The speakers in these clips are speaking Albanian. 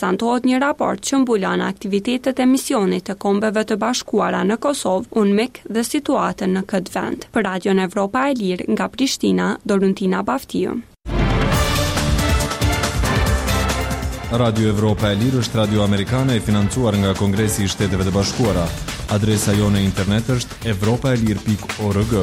Prezantohet një raport që mbulon aktivitetet e misionit të Kombeve të Bashkuara në Kosovë, UNMIK dhe situatën në këtë vend. Për Radion Evropa e Lirë nga Prishtina, Doruntina Baftiu. Radio Evropa e Lirë është radio amerikane e financuar nga Kongresi i Shteteve të Bashkuara. Adresa jonë e internet është evropaelire.org.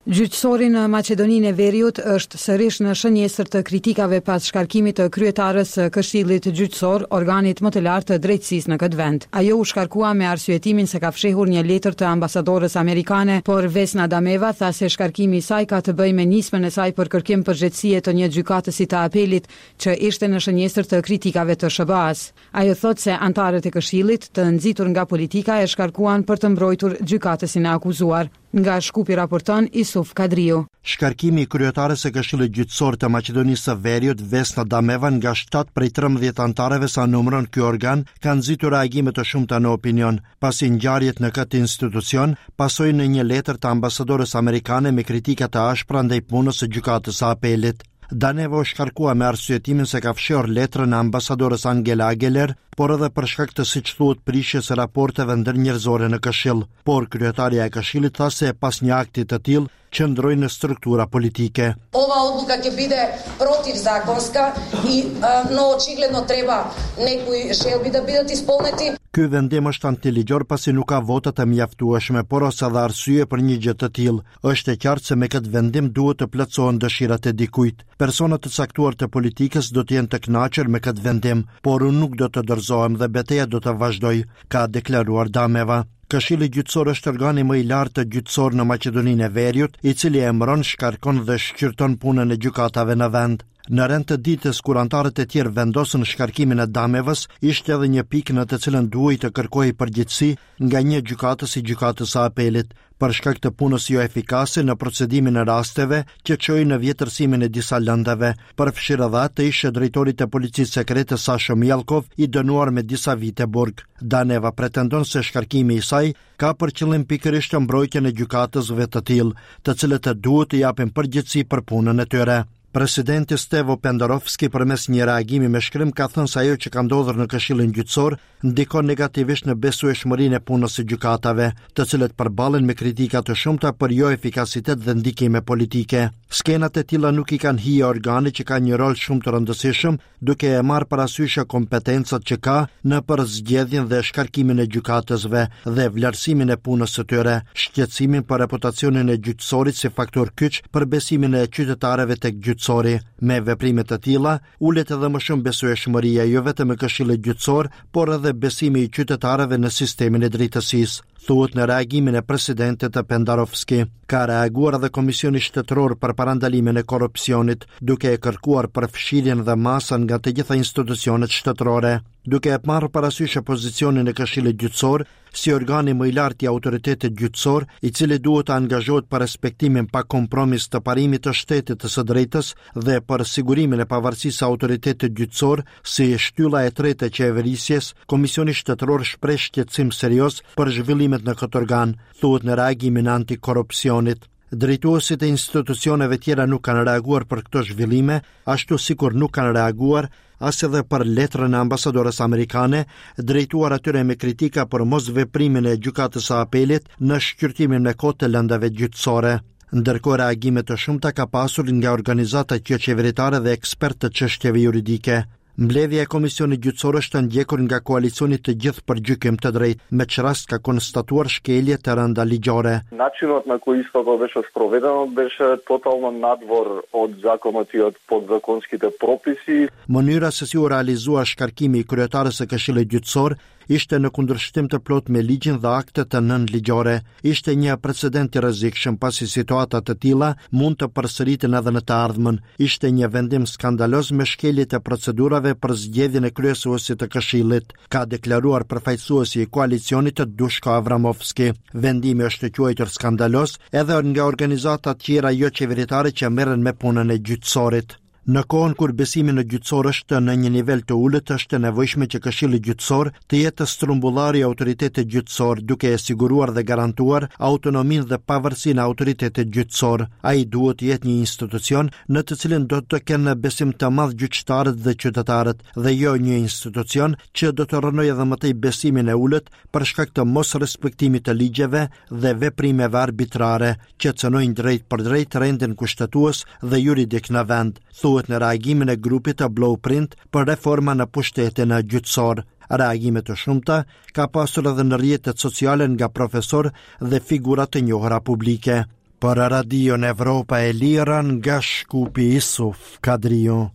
Gjyqësori në Maqedoninë e Veriut është sërish në shënjestër të kritikave pas shkarkimit të kryetares së Këshillit Gjyqësor, organit më të lartë të drejtësisë në këtë vend. Ajo u shkarkua me arsyetimin se ka fshehur një letër të ambasadores amerikane, por Vesna Dameva tha se shkarkimi i saj ka të bëjë me nismën e saj për kërkim përgjegjësie të një gjykatësi të apelit që ishte në shënjestër të kritikave të SHBA-së. Ajo thotë se anëtarët e Këshillit, të nxitur nga politika, e shkarkuan për të mbrojtur gjykatësin e akuzuar. Nga Shkupi raporton Isuf Kadriu. Shkarkimi i kryetares së Këshillit Gjyqësor të Maqedonisë së Veriut, Vesna Dameva nga 7 prej 13 anëtarëve sa numëron ky organ, ka nxitur reagime të shumta në opinion, pasi ngjarjet në këtë institucion pasojnë në një letër të ambasadores amerikane me kritika të ashpra ndaj punës së Gjykatës së Apelit. Daneva u shkarkua me arsyetimin se ka fshehur letrën e ambasadores Angela Ageler, por edhe për shkak të siç thuhet prishjes së raporteve ndërnjerëzore në Këshill. Por kryetarja e Këshillit tha se pas një akti të tillë qëndrojnë struktura politike. Ova odluka ќе биде противзаконска и но очигледно треба некои желби да бидат исполнети. Ky vendim është antiligjor pasi nuk ka vota të mjaftueshme, por as edhe arsye për një gjë të tillë. Është e qartë se me këtë vendim duhet të plotësohen dëshirat e dikujt. Persona të caktuar të politikës do të jenë të kënaqur me këtë vendim, por unë nuk do të dorëzohem dhe beteja do të vazhdojë, ka deklaruar Dameva. Këshilli Gjyqësor është organi më i lartë gjyqësor në Maqedoninë e Veriut, i cili emëron, shkarkon dhe shqyrton punën e gjykatave në vend. Në rend të ditës kur anëtarët e tjerë vendosën shkarkimin e Damevës, ishte edhe një pikë në të cilën duhej të kërkohej përgjegjësi nga një gjykatës i Gjykatës së Apelit, për shkak të punës joefikase në procedimin e rasteve që çoi në vjetërsimin e disa lëndëve, përfshirë edhe atë të ish-drejtorit të Policisë Sekrete Sasho Mijallkov, i dënuar me disa vite burg. Daneva pretendon se shkarkimi i saj ka për qëllim pikërisht mbrojtjen e gjykatësve të tillë, të cilët duhet të japin përgjegjësi për punën e tyre. Presidenti Stevo Pendarovski përmes një reagimi me shkrim ka thënë se ajo që ka ndodhur në Këshillin Gjyqësor ndikon negativisht në besueshmërinë e punës së gjykatave, të cilët përballen me kritika të shumta për joefikasitet dhe ndikime politike. Skenat e tilla nuk i kanë hije organit që ka një rol shumë të rëndësishëm duke e marrë parasysh kompetencat që ka në përzgjedhjen dhe shkarkimin e gjykatësve dhe vlerësimin e punës së tyre, shqetësimin për reputacionin e gjyqësorit si faktor kyç për besimin e qytetarëve tek gjyqësori. Me veprime të tilla, ulet edhe më shumë besueshmëria jo vetëm e Këshillit Gjyqësor, por edhe besimi i qytetarëve në sistemin e drejtësisë, thuhet në reagimin e presidentit të Pendarovski. Ka reaguar edhe Komisioni Shtetëror për Parandalimin e Korrupsionit, duke e kërkuar përfshirjen dhe masa nga të gjitha institucionet shtetërore. Duke e marrë parasysh pozicionin e Këshillit Gjyqësor si organi më i lartë i autoritetit gjyqësor, i cili duhet të angazhohet për respektimin pa kompromis të parimit të shtetit të së drejtës dhe për sigurimin e pavarësisë së autoritetit gjyqësor si shtylla e tretë e qeverisjes, Komisioni Shtetëror shpreh shqetësim serioz për zhvillimet në këtë organ, thuhet në reagimin e antikorrupsionit. Drejtuesit e institucioneve tjera nuk kanë reaguar për këto zhvillime, ashtu sikur nuk kanë reaguar as edhe për letrën e ambasadores amerikane, drejtuar atyre me kritika për mosveprimin e Gjykatës së Apelit në shqyrtimin me kohë të lëndëve gjyqësore. Ndërkohë reagime të shumta ka pasur nga organizatat joqeveritare dhe ekspertë të çështjeve juridike. Mbledhja e Komisionit Gjyqësor është ndjekur nga koalicioni Të gjithë për gjykim të drejtë, me ç'rast ka konstatuar shkelje të rënda ligjore. Начинот на кој истото беше спроведено беше тотално надвор од законот и од подзаконските прописи. Mënyra se si u realizua shkarkimi i kryetares së Këshillit Gjyqësor ishte në kundërshtim të plotë me ligjin dhe aktet nënligjore. Ishte një precedent i rrezikshëm pasi situata të tilla mund të përsëriten edhe në të ardhmen. Ishte një vendim skandaloz me shkelje të procedurave për zgjedhjen e kryesuesit të Këshillit, ka deklaruar përfaqësuesi i koalicionit të Dushko Avramovski. Vendimi është quajtur skandaloz edhe nga organizatat tjera joqeveritare që merren me punën e gjyqësorit. Në kohën kur besimi në gjyqësor është në një nivel të ulët, është e nevojshme që Këshilli Gjyqësor të jetë strumbullari i autoritetit gjyqësor, duke e siguruar dhe garantuar autonominë dhe pavarësinë e autoritetit gjyqësor. Ai duhet të jetë një institucion në të cilin do të kenë besim të madh gjyqtarët dhe qytetarët, dhe jo një institucion që do të rrënojë edhe më tej besimin e ulët për shkak të mosrespektimit të ligjeve dhe veprimeve arbitrare që cënojnë drejtpërdrejt rendin kushtetues dhe juridik në vend, thuhet në reagimin e grupit të Blueprint për reforma në pushtetin gjyqësor. Reagime të shumta ka pasur edhe në rrjetet sociale nga profesorë dhe figura të njohura publike. Për Radion Evropa e Lirë nga Shkupi Isuf Kadriu.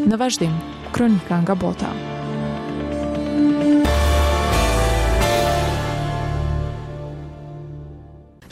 Në vazhdim, kronika nga bota.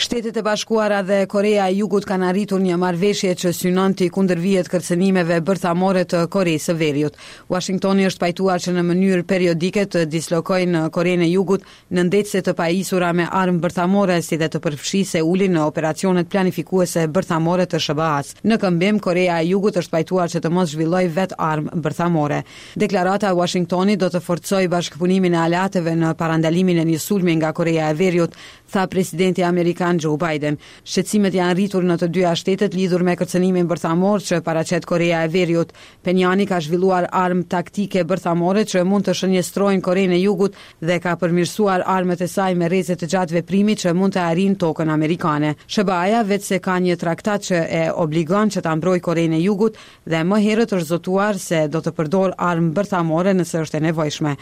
Shtetet e Bashkuara dhe Koreja e Jugut kanë arritur një marrëveshje që synon t'i kundërvihet kërcënimeve bërthamore të Koresë së Veriut. Uashingtoni është pajtuar që në mënyrë periodike të dislokojë në Korenë e Jugut Nëndetëse të pajisura me armë bërthamore si dhe të përfshijë Seulin në operacionet planifikuese bërthamore të SHBA-së. Në këmbim, Koreja e Jugut është pajtuar që të mos zhvillojë vetë armë bërthamore. Deklarata e Uashingtonit do të forcojë bashkëpunimin e aleatëve në parandalimin e një sulmi nga Koreja e Veriut, tha presidenti amerikan Joe Biden. Shqetësimet janë rritur në të dyja shtetet lidhur me kërcënimin bërthamor që paraqet Koreja e Veriut. Peniani ka zhvilluar armë taktike bërthamore që mund të shënjestrojnë Korenë e Jugut dhe ka përmirësuar armët e saj me rreze të gjatë veprimi që mund të arrijnë tokën amerikane. SHBA-ja veçse ka një traktat që e obligon që ta mbrojë Korenë e Jugut dhe më herët është zotuar se do të përdorë armë bërthamore nëse është e nevojshme.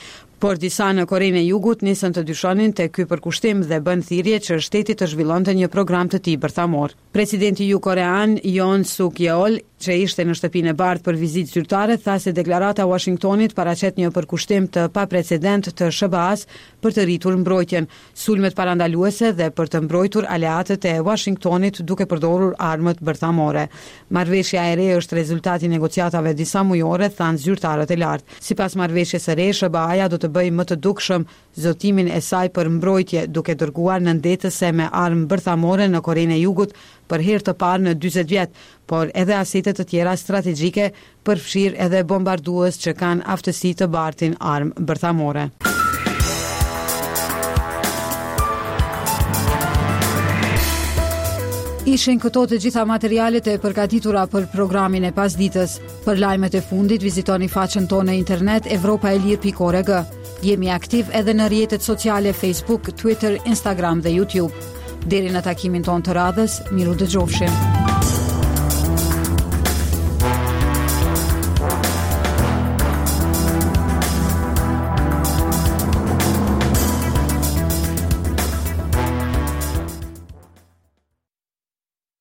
Por disa në Korenë e Jugut nisën të dyshonin te ky përkushtim dhe bënë thirrje që shteti të zhvillonte një program të tij bërthamor. Presidenti jugkorean Yoon Suk Yeol, që ishte në Shtëpinë e Bardhë për vizitë zyrtare, tha se deklarata e Uashingtonit paraqet një përkushtim të paprecedentë të SHBA-së për të rritur mbrojtjen, sulmet parandaluese dhe për të mbrojtur aleatët e Uashingtonit duke përdorur armët bërthamore. Marrëveshja e re është rezultat i negociatave disamujore, thanë zyrtarët e lartë. Sipas marrëveshjes së re, SHBA-ja do të bëjë më të dukshëm zotimin e saj për mbrojtje, duke dërguar nëndetëse me armë bërthamore në Korenë e Jugut për herë të parë në 40 vjet, por edhe asete të tjera strategjike, përfshirë edhe bombardues që kanë aftësi të bartin armë bërthamore. Ishin këto të gjitha materialet e përgatitura për programin e pasditës. Për lajmet e fundit vizitoni faqen tonë në internet evropaelire.org. Jemi aktiv edhe në rrjetet sociale Facebook, Twitter, Instagram dhe YouTube. Deri në takimin tonë të radhës, mirudëgjofshim.